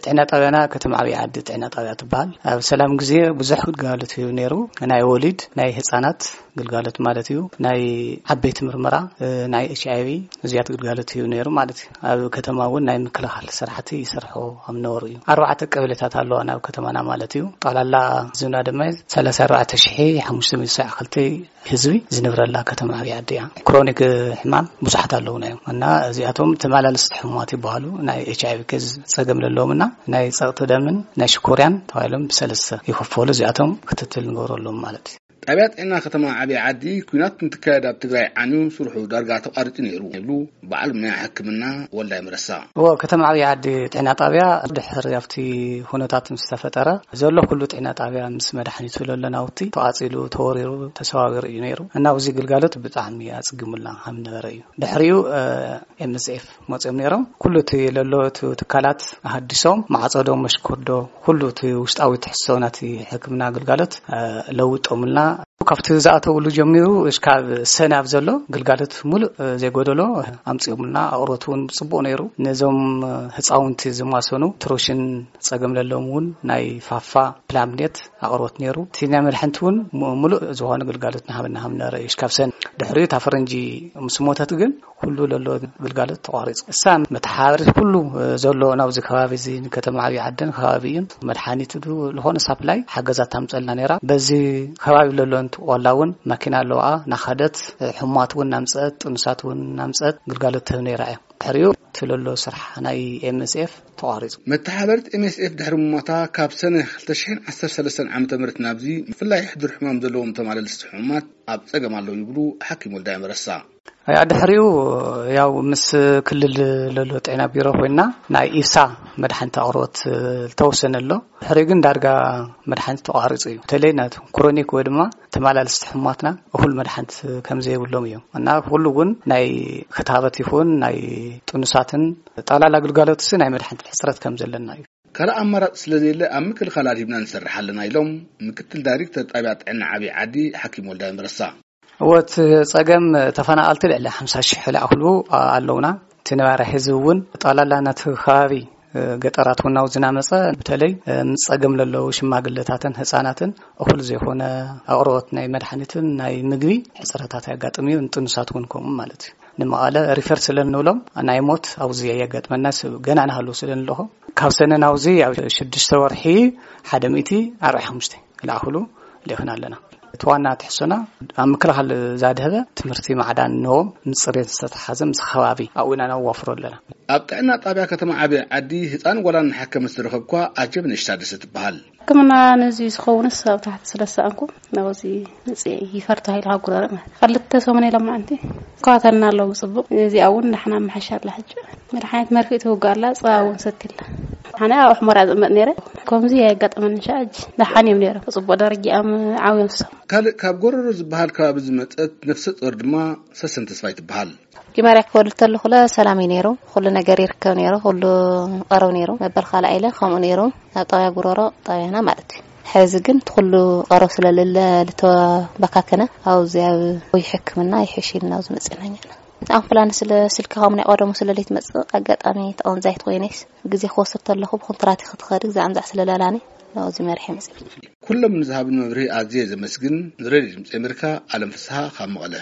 ጥዕና ጣብያና ከተማ ዓብዪ ዓዲ ጥዕና ጣብያ ትበሃል። ኣብ ሰላም ግዜ ብዙሕ ግልጋሎት ይህብ ነይሩ። ናይ ወሊድ፣ ናይ ህፃናት ግልጋሎት ማለት እዩ። ናይ ዓበይቲ ምርመራ፣ ናይ ኤች ኣይ ቪ እዚያት ግልጋሎት ይህብ ነይሩ ማለት እዩ። ኣብ ከተማ እውን ናይ ምክልኻል ስራሕቲ ይሰርሑ ከም ነበሩ እዩ። ኣርባዕተ ቀበሌታት ኣለዋ ናብ ከተማና ማለት እዩ። ጠቕላላ ህዝብና ድማ ሰላሳ ኣርባዕተ ሽሕ ሓሙሽተ ሚእቲ ሰብዓ ክልተ ህዝቢ ዝነብረላ ከተማ ዓብዪ ዓዲ እያ። ክሮኒክ ሕማም ብዙሓት ኣለውና እዮም እና እዚኣቶም ተመላለስቲ ሕሙማት ይበሃሉ። ናይ ኤች ኣይ ቪ ኬዝ ጸገም ለለዎም እና ናይ ጸቕጢ ደምን ናይ ሽኮርያን ተባሂሎም ብሰለስተ ይኽፈሉ። እዚኣቶም ክትትል ንገብረሎም ማለት እዩ። ጣብያ ጥዕና ከተማ ዓብዪ ዓዲ፣ ኲናት እንትካየድ ኣብ ትግራይ ዓንዩ ስርሑ ዳርጋ ተቋሪጹ ነይሩ ይብሉ በዓል ሞያ ሕክምና ወልዳይ መረሳ። እዎ፣ ከተማ ዓብዪ ዓዲ ጥዕና ጣብያ ድሕሪ ኣብቲ ኩነታት ምስ ተፈጠረ ዘሎ ኩሉ ጥዕና ጣብያ ምስ መድሓኒቱ ለሎ ናውቲ ተቓጺሉ፣ ተወሪሩ፣ ተሰባቢሩ እዩ ነይሩ እና ኣብዚ ግልጋሎት ብጣዕሚ ኣጽጊሙልና ከም ነበረ እዩ። ድሕሪኡ ኤም ኤስ ኤፍ መፅኦም ነይሮም። ኩሉ እቲ ለሎ እቲ ትካላት ኣሃዲሶም፣ ማዕፀዶ፣ መሽኮዶ፣ ኩሉ እቲ ውሽጣዊ ትሕዝቶ ናቲ ሕክምና ግልጋሎት ለውጦምልና። ካብቲ ዝኣተውሉ ጀሚሩ እስካብ ሰነ ኣብ ዘሎ ግልጋሎት ሙሉእ ዘይጎደሎ ኣምፂኦምልና። ኣቕርቦት እውን ብፅቡቕ ነይሩ። ነዞም ህፃውንቲ ዝማሰኑ ትሮሽን ፀገም ለለዎም እውን ናይ ፋፋ ፕላምኔት ኣቕርቦት ነይሩ። እቲ ናይ መድሓንቲ እውን ሙሉእ ዝኾነ ግልጋሎት ናሃበና ሃምና ረእዩ እስካብ ሰነ። ድሕሪኡ እታ ፈረንጂ ምስ ሞተት ግን ኩሉ ለሎ ግልጋሎት ተቋሪፁ። እሳ መተሓባበሪት ኩሉ ዘሎ ናብዚ ከባቢ እዚ ንከተማ ዓብዪ ዓደን ከባቢ እዩን መድሓኒት ዱ ዝኾነ ሳፕላይ ሓገዛት ታምፀልና ነይራ። በዚ ከባቢ ለሎ እንት ቆላ እውን ማኪና ኣለዋ ናኸደት ሕሙማት እውን ናምፀት ጥኑሳት እውን ናምፀት ግልጋሎት ትህብ ነይራ እያ። ድሕሪኡ እቲ ለሎ ስራሕ ናይ ኤም ኤስ ኤፍ ተቋሪፁ። መተሓበሪት ኤም ኤስ ኤፍ ድሕሪ ምሞታ ካብ ሰነ ክልተ ሽሕን ዓሰርተ ሰለስተን ዓመተ ምህረት ናብዚ ብፍላይ ሕዱር ሕማም ዘለዎም ተማለልስቲ ሕሙማት ኣብ ፀገም ኣለዉ ይብሉ ሓኪም ወልዳይ መረሳ። ያ ድሕሪኡ ያው ምስ ክልል ለሎ ጥዕና ቢሮ ኮይና ናይ ኢሳ መድሓኒት ኣቕርቦት ዝተወሰነ ኣሎ። ድሕሪኡ ግን ዳርጋ መድሓኒት ተቋሪፁ እዩ። በተለይ ናቱ ክሮኒክ ወይ ድማ ተመላለስቲ ሕሙማትና እኹል መድሓኒት ከም ዘይብሎም እዮም እና ኩሉ እውን ናይ ክታበት ይኹን ናይ ጥኑሳትን ጠቕላላ ግልጋሎትሲ ናይ መድሓኒት ሕፅረት ከም ዘለና እዩ። ካልእ ኣማራፂ ስለዘየለ ኣብ ምክልኻል ኣድሂብና ንሰርሕ ኣለና ኢሎም ምክትል ዳይሬክተር ጣብያ ጥዕና ዓብዪ ዓዲ ሓኪም ወልዳይ መረሳ። እወ፣ እቲ ጸገም ተፈናቐልቲ ልዕሊ ሓምሳ ሽሕ ዝኣኽሉ ኣለውና። እቲ ነባሪ ህዝቢ እውን ጠቕላላ ነቲ ከባቢ ገጠራት እውን ናብኡ ዝናመጸ፣ በተለይ ምስ ጸገም ለለዉ ሽማግለታትን ህጻናትን እኹል ዘይኮነ ኣቕርቦት ናይ መድሓኒትን ናይ ምግቢ ሕጽረታት የጋጥም እዩ። ንጥኑሳት እውን ከምኡ ማለት እዩ። ንመቐለ ሪፈር ስለ እንብሎም ናይ ሞት ኣብዚ የጋጥመና፣ ገና ንሃሉ ስለ ንለኹ ካብ ሰነ ናብዚ ኣብ ሽዱሽተ ወርሒ ሓደ ሚእቲ ኣርባዕተ ሓሙሽተ ክልኣኽሉ ልኢኽና ኣለና። እቲ ዋና ትሕሶና ኣብ ምክልኻል ዛድህበ ትምህርቲ ማዕዳን ንዎም ምስ ጽሬት ዝተተሓዘ ምስ ከባቢ ኣብኡ ኢና ነዋፍሮ ኣለና። ኣብ ጥዕና ጣብያ ከተማ ዓብዪ ዓዲ ህፃን ጓላን እናሓከመት ዝረኸብኳ ኣጀብነሽ ታደሰ ትበሃል። ሕክምና ነዚ ዝኸውንስ ኣብ ታሕቲ ስለ ዝሰኣንኩ ናብዚ መፅየ ይፈር ተባሂሉ ካብ ጉረረ ማለት ክልተ ሰሙን ኢሎም ማዓንቲ ይከታተልና ኣለዉ ብፅቡቅ። እዚኣ እውን ዳሕና መሓሻ ኣላ ሕጂ። መድሓኒት መርፊእ ትውጋእ ኣላ፣ ፀባ እውን ሰትላ። ኣነ ኣብ ሑመራ ዝቕመጥ ነይረ። ከምዚ ኣየጋጠመኒ ሻ ሕጂ ደሓን እዮም ነይሮም። ብፅቡቅ ደረጃኦም ዓብዮም ሰው። ካልእ ካብ ጎረሮ ዝበሃል ከባቢ ዝመፀት ነፍሰ ጡር ድማ ሰሰን ተስፋይ ትበሃል። መጀመርያ ክወልድ ከለኹለ ሰላም እዩ ነይሩ። ኩሉ ነገር ይርከብ ነይሩ። ኩሉ ቀረብ ነይሩ። መበል ካልኣይ ኢለ ከምኡ ነይሩ። ኣብ ጣብያ ጉረሮ ጣብያና ማለት እዩ። ሕዚ ግን እቲ ኩሉ ቀረብ ስለለለ ልተባካከነ ኣብዚ ኣብ ወይ ሕክምና ይሕሽ ኢልና ኣብዚ መፅና ኢና። ኣምቡላንስ ስለ ስልኪ ከምኡ ናይ ቀደሙ ስለ ለይትመፅእ ኣጋጣሚ ተቐንዛይት ኮይነስ ግዜ ክወስድ ተለኹ ብኮንትራት ክትኸድ ግዜ ኣምዛዕ ስለለላኒ ናብዚ መርሒ መፅእ። ኩሎም ንዝሃብን መብርሂ ኣዝየ ዘመስግን። ንሬድዮ ድምፂ ኣሜሪካ ኣለም ፍስሃ ካብ መቐለ።